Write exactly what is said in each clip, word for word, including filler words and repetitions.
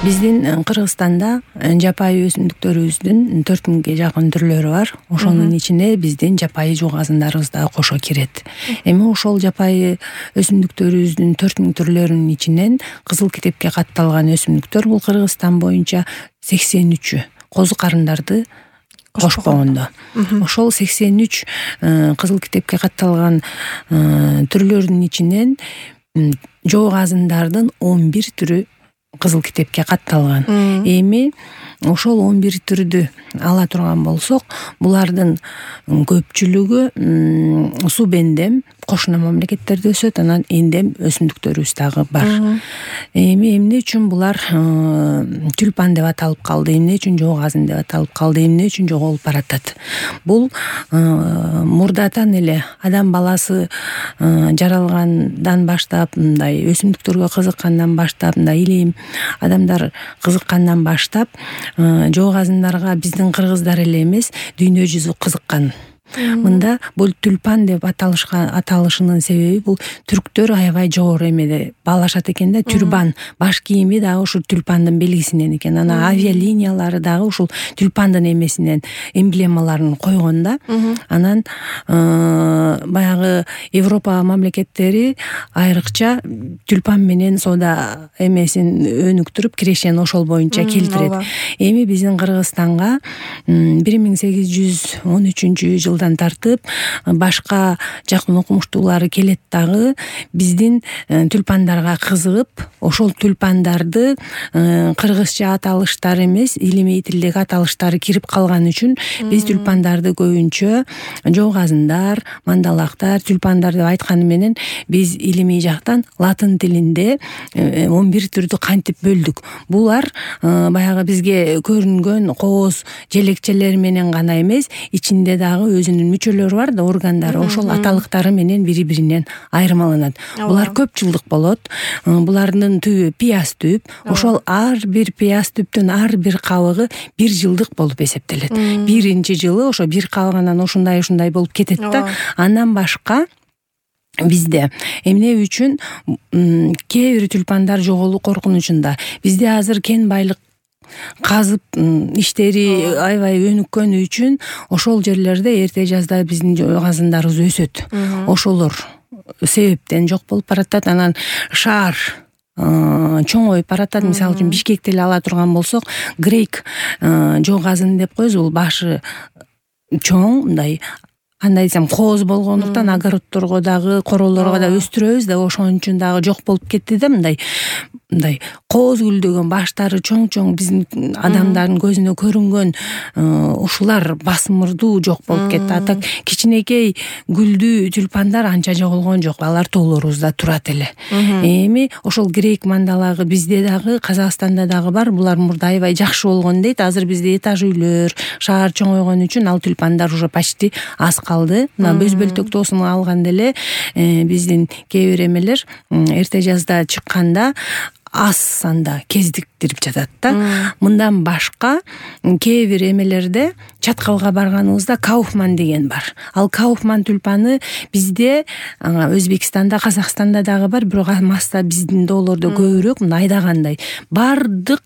Биздин Кыргызстанда жапайы өсүмдүктөрүбүздүн төрт миңге жакын түрлөрү бар. Ошонун ичине биздин жапайы жугазындарыбыз дагы кошо кирет. Эми ошол жапайы өсүмдүктөрүбүздүн төрт миң түрлөрүнүн ичинен кызыл китепке катталган өсүмдүктөр бул Кыргызстан боюнча сексен үчү козу карындарды кошпогондо. Ошол сексен үч кызыл китепке катталган түрлөрдүн ичинен жоогазындардын он бир түрү кызыл китепке катталган. Эми ошол он бир түрдү ала турган болсок, булардын көпчүлүгү субэндем кошуна мамлекеттерде өсөт, анан эндем өсүмдүктөрүбүз дагы бар. Эми эмне үчүн булар тюльпан деп аталып калды, эмне үчүн жоогазын деп аталып калды, эмне үчүн жоголуп баратат? Бул мурдатан эле адам баласы жаралгандан баштап, мындай өсүмдүктөргө кызыккандан баштап, мындай илим адамдар кызыккандан баштап жоогазындарга биздин кыргыздар эле эмес, дүйнө жүзү кызыккан. Мында бул тюльпан деп аталышка аталышынын себеби бул түрктөр аябай жогору эмеде баалашат экен да, тюрбан, баш кийими дагы ушул тюльпандын белгисинен экен. Анан авиалиниялары дагы ушул тюльпандын эмесинен эмблемаларын койгон да. Анан баягы Европа мамлекеттери айрыкча тюльпан менен соода эмесин өнүктүрүп, кирешен ошол боюнча келтирет. Эми биздин Кыргызстанга бир миң сегиз жүз он үчүнчү жылдан тартып башка жакын окумуштуулары келет дагы биздин тюльпандарга кызыгып, ошол тюльпандарды кыргызча аталыштары эмес, илимий тилдеги аталыштары кирип калган үчүн биз тюльпандарды көбүнчө жоогазындар, мандалактар, тюльпандар деп айтканы менен биз илимий жактан латын тилинде он бир түрдү кантип бөлдүк. Булар баягы бизге көрүнгөн кооз желекчелери менен гана эмес, ичинде дагы өзүнүн мүчөлөрү бар да, органдары, ошол аталыктары менен бири-биринен айырмаланат. Булар көп жылдык болот. Булардын түбү пияз түп. Ошол ар бир пияз түптүн ар бир кабыгы бир жылдык болуп эсептелет. Биринчи жылы ошо бир кабыгынан ушундай ушундай болуп кетет да. Андан башка бизде эмне үчүн кээ бир тюльпандар жоголуу коркунучунда? Бизде азыр кен байлык казып иштери аябай өнүккөнү үчүн ошол жерлерде эрте жазда биздин жоогазындарыбыз өсөт. Ошолор себептен жок болуп баратат. Анан шаар чоңоюп баратат. Мисалы үчүн Бишкекти эле ала турган болсок, грейк жоогазын деп коебуз. Бул башы чоң, мындай кандай десем, кооз болгондуктан огородторго дагы, королорго да өстүрөбүз да, ошон үчүн дагы жок болуп кетти да. Мындай мындай кооз гүлдөгөн, баштары чоң-чоң, биздин адамдардын көзүнө көрүнгөн ушулар басымырдуу жок болуп кетти. А так кичинекей гүлдүү тюльпандар анча жоголгон жок. Алар тоолорубузда турат эле. Эми ошол грейк мандалагы бизде дагы, Казакстанда дагы бар. Булар мурда аябай жакшы болгон дейт. Азыр бизде этаж үйлөр, шаар чоңойгон үчүн ал тюльпандар уже почти аз калды. Мына Бөз бөлтөк тоосун алганда эле биздин кээ бир эмелер эрте жазда чыкканда аз санда кездиктирип жатат да. Мындан башка кээ бир эмелерде чаткалга барганыбызда Кауфман деген бар. Ал Кауфман тюльпаны бизде, Өзбекстанда, Казакстанда дагы бар, бирок маста биздин доолордо көбүрөөк, мындай айдагандай. Бардык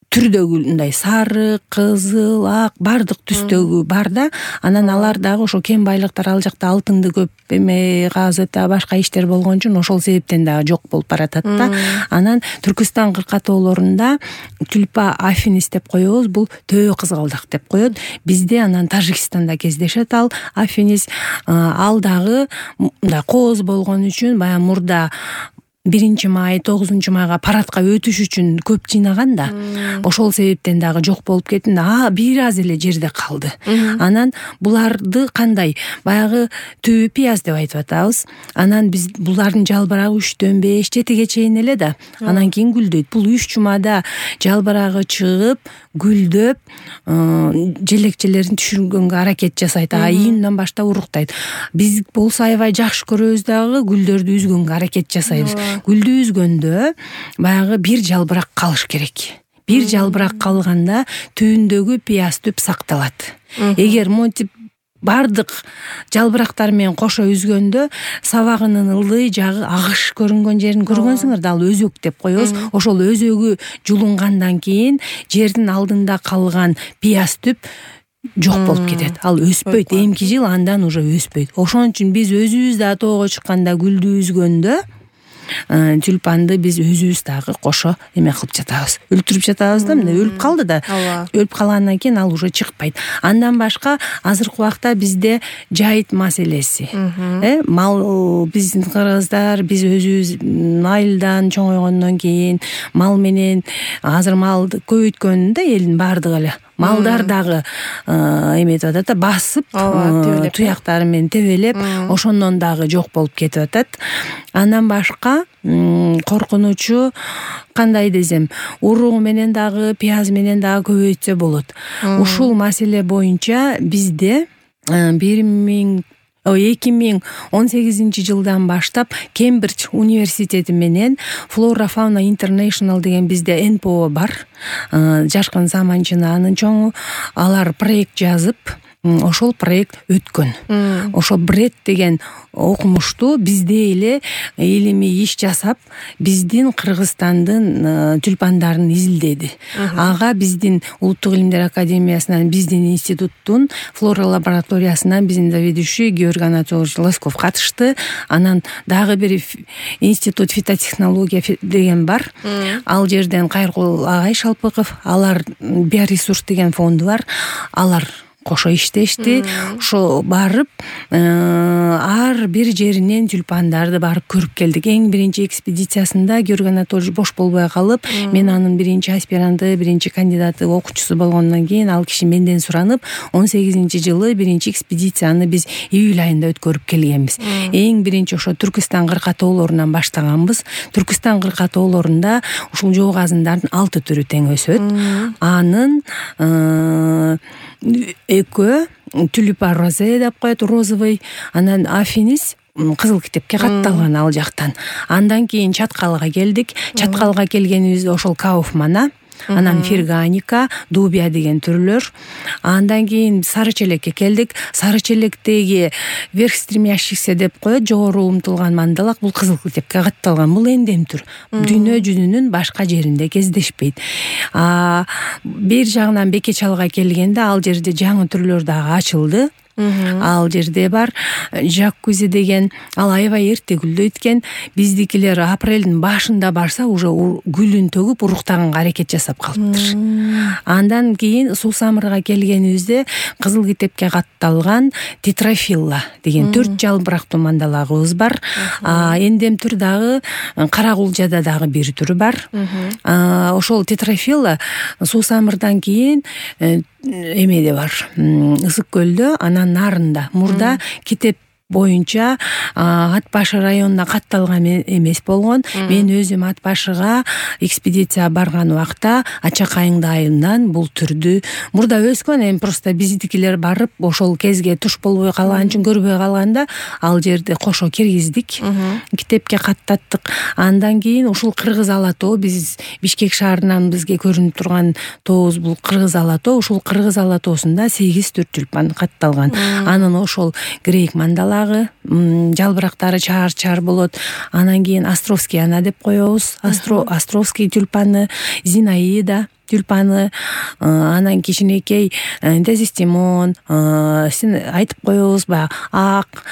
түрдөгү, мындай сары, кызыл, ак, бардык түстөгү бар да. Анан алар дагы ошо кен байлыктар, ал жакта алтынды көп эме, газет, башка иштер болгон үчүн ошол себептен дагы жок болуп баратат да. Анан Түркүстан кыркатоолорунда тюльпа афинис деп коебуз, бул төбө кызгалдак деп коет. Бизде анан Тажикстанда кездешет ал афинис. Ал дагы мындай кооз болгон үчүн баягы мурда биринчи май, тогузунчу майга парадка өтүш үчүн көп жыйнаган да. Ошол себептен дагы жок болуп кетти. А бир аз эле жерде калды. Анан буларды кандай? Баягы түбү пияз деп айтып атабыз. Анан биз булардын жалбырагы үчтөн беш, жетиге чейин эле да. Анан кийин гүлдөйт. Бул үч жумада жалбырагы чыгып, гүлдөп, желекчелерин түшүргөнгө аракет жасайт. А июндан баштап уруктайт. Биз болсо аябай жакшы көрөбүз дагы, гүлдөрдү үзгөнгө аракет жасайбыз. Гүлдү үзгөндө баягы бир жалбырак калыш керек. Бир жалбырак калганда түбүндөгү пияз түп сакталат. Эгер монтип бардык жалбырактар менен кошо үзгөндө сабагынын ылдый жагы агыш көрүнгөн жерин көргөнсүңөр да, ал өзөк деп коебуз. Ошол өзөгү жулунгандан кийин жердин алдында калган пияз түп жок болуп кетет. Ал өспөйт, эмки жыл андан уже өспөйт. Ошон үчүн биз өзүбүз да тоого чыкканда гүлдү үзгөндө тюльпанды биз өзүбүз дагы кошо эме кылып жатабыз, өлтүрүп жатабыз да, мына өлүп калды да. Өлүп калгандан кийин ал уже чыкпайт. Андан башка азыркы убакта бизде жайыт маселеси. Э, мал, биздин кыргыздар, биз өзүбүз айылдан чоңойгондон кийин мал менен азыр малды көбөйткөн да элдин бардыгы эле. Малдар дагы эметип атат да, басып, туяктары менен тебелеп, ошондон дагы жок болуп кетип атат. Андан башка коркунучу кандай десем, уругу менен дагы, пияз менен дагы көбөйтсө болот. Ушул маселе боюнча бизде бир миң эки миң он сегизинчи жылдан баштап Кембридж университети менен Flora Fauna International деген бизде эн пэ о бар. Жашкын Саманчина анын чоңу. Алар проект жазып, ошол проект өткөн. Ошол бред деген окумушту бизде эле илимий иш жасап, биздин Кыргызстандын тюльпандарын изилдеди. Ага биздин Улуттук илимдер академиясынан, биздин институттун флора лабораториясынан биздин заведующий Георгий Анатольевич Лосков катышты. Анан дагы бир институт фитотехнология деген бар. Ал жерден Кайыркул агай Шалпыков, алар биоресурс деген фонду бар. Алар кошо иштешти. Ошо барып ар бир жеринен тюльпандарды барып көрүп келдик. Эң биринчи экспедициясында Георгий Анатольевич бош болбой калып, мен анын биринчи аспиранты, биринчи кандидаты, окуучусу болгондон кийин ал киши менден суранып, он сегизинчи жылы биринчи экспедицияны биз июль айында өткөрүп келгенбиз. Эң биринчи ошо Түркистан кыркатоолорунан баштаганбыз. Түркистан кыркатоолорунда ушул жоо казындардын алты түрү тең өсөт. Анын экөө тюлипа розе деп коет, розовый, анан афинис кызыл китепке катталган ал жактан. Андан кийин Чаткалга келдик. Чаткалга келгенибизде ошол Кауфмана, анан Ферганика, Дубия деген түрлөр. Андан кийин Сары Челекке келдик. Сары Челектеги верх стремящихся деп коет, жогору умтулган мандалак, бул кызыл китепке катталган. Бул эндем түр. Дүйнө жүзүнүн башка жеринде кездешпейт. А бир жагынан Бекечалга келгенде ал жерде жаңы түрлөр дагы ачылды. Ал жерде бар Жаккузи деген, ал аябай эрте гүлдөйт экен. Биздикилер апрелдин башында барса уже гүлүн төгүп уруктаганга аракет жасап калыптыр. Андан кийин Суусамырга келгенибизде кызыл китепке катталган Тетрафилла деген төрт жалбырактуу мандалагыбыз бар. Эндем түр дагы Кара Кулжада дагы бир түрү бар. Ошол Тетрафилла Суусамырдан кийин эмеде бар, Ысык көлдө, анан нарында. Мурда китеп боюнча Ат башы районуна катталган эмес болгон. Мен өзүм Ат башыга экспедиция барган убакта Ачак айыңды айынан бул түрдү мурда өскөн. Эми просто биздикилер барып ошол кезге туш болбой калган үчүн, көрбөй калганда ал жерди кошо киргиздик, китепке каттаттык. Андан кийин ушул Кыргыз ала тоо, биз Бишкек шаарынан бизге көрүнүп турган тообуз бул Кыргыз ала тоо. Ушул Кыргыз ала тоосунда сегиз түр тюльпан катталган. Анын ошол грек мандала жалбырактары чаар-чаар болот. Анан кийин Островский ана деп коебуз. Островский тюльпаны, Зинаида тюльпаны, анан кичинекей Дезистимон, сен айтып коебуз баягы ак,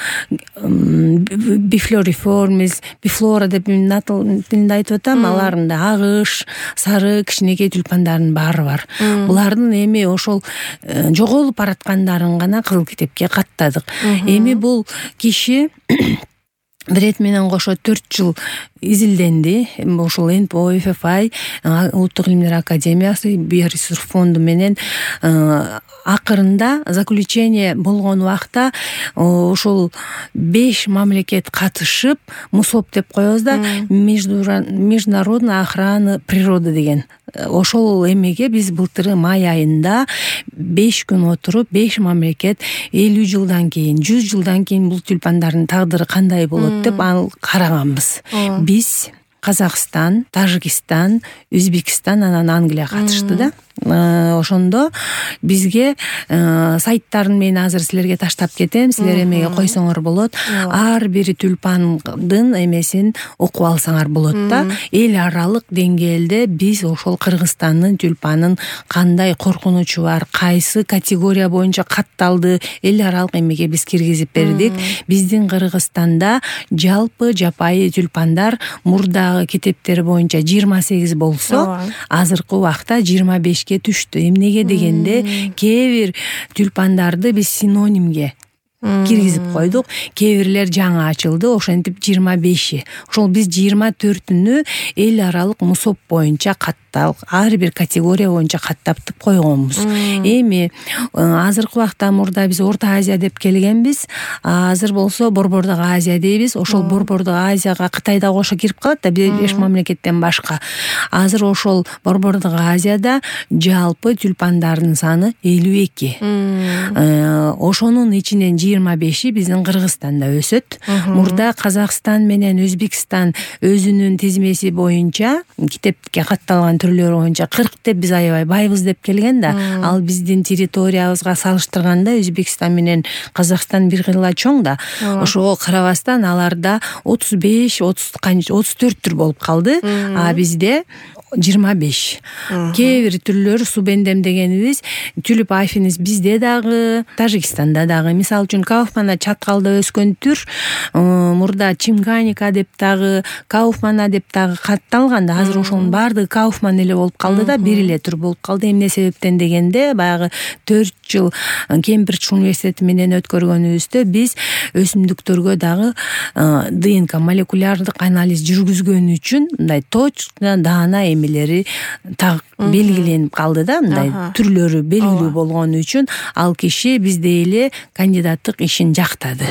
Бифлориформис, Бифлора деп мен тилинде айтып атам. Аларында агыш, сары кичинекей тюльпандардын баары бар. Булардын эми ошол жоголуп бараткандарын гана кызыл китепке каттадык. Эми бул киши Бред менен кошо төрт жыл изилденди. Ошол эн пэ о, эф эф ай, Улуттук илимдер академиясы, биоресурс фонду менен акырында заключение болгон убакта ошол беш мамлекет катышып, МУСОП деп коебуз да, международная охрана природы деген. Ошол эмеге биз былтыры май айында беш күн отуруп, беш мамлекет элүү жылдан кийин, жүз жылдан кийин бул тюльпандардын тагдыры кандай болот деп ал караганбыз. Биз Казакстан, Тажикстан, Өзбекстан, анан Англия катышты да. ошондо бизге сайттарын мен азыр силерге таштап кетем, силер эмеге койсоңор болот. Ар бир тюльпандын эмесин окуп алсаңар болот да. Эл аралык деңгээлде биз ошол Кыргызстандын тюльпанын кандай коркунучу бар, кайсы категория боюнча катталды, эл аралык эмеге биз киргизип бердик. Биздин Кыргызстанда жалпы жапайы тюльпандар мурдагы китептер боюнча жыйырма сегиз болсо, азыркы убакта жыйырма бешке түштү. Эмнеге дегенде кээ бир тюльпандарды биз синонимге киргизип койдук. Кээ бирлер жаңы ачылды, ошентип жыйырма беши. Ошол биз жыйырма төртүнү эл аралык мусоп боюнча катталып, ар бир категория боюнча каттап койгонбуз. Эми азыркы убакта мурда биз Орто Азия деп келгенбиз. Азыр болсо Борбордук Азия дейбиз. Ошол Борбордук Азияга Кытай да кошо кирип калат да, беш мамлекеттен башка. Азыр ошол Борбордук Азияда жалпы тюльпандардын саны элүү эки. Ошонун ичинен жыйырма беши биздин Кыргызстанда өсөт. Мурда Казакстан менен Өзбекстан өзүнүн тизмеси боюнча китепке катталган түрлөр боюнча кырк деп биз аябай байбыз деп келген да. Ал биздин территориябызга салыштырганда Өзбекстан менен Казакстан бир кыйла чоң да. Ошого карабастан аларда отуз беш, отуз отуз төрт түр болуп калды. А бизде жыйырма беш. Кээ бир түрлөр субендем дегенибиз тюлип афинис бизде дагы, Тажикстанда дагы. Мисалы үчүн Кауфмана чаткалда өскөн түр мурда Чимганика деп дагы, Кауфмана деп дагы катталган да. Азыр ошонун баардыгы Кауфман эле болуп калды да, бир эле түр болуп калды. Эмне себептен дегенде, баягы төрт жыл Кембридж университети менен өткөргөнүбүздө биз өсүмдүктөргө дагы ДНК молекулярлык анализ жүргүзгөн үчүн мындай точно даана эмелери так белгиленип калды да, мындай түрлөрү белгилүү болгон үчүн ал киши бизде эле кандидаттык ишин жактады.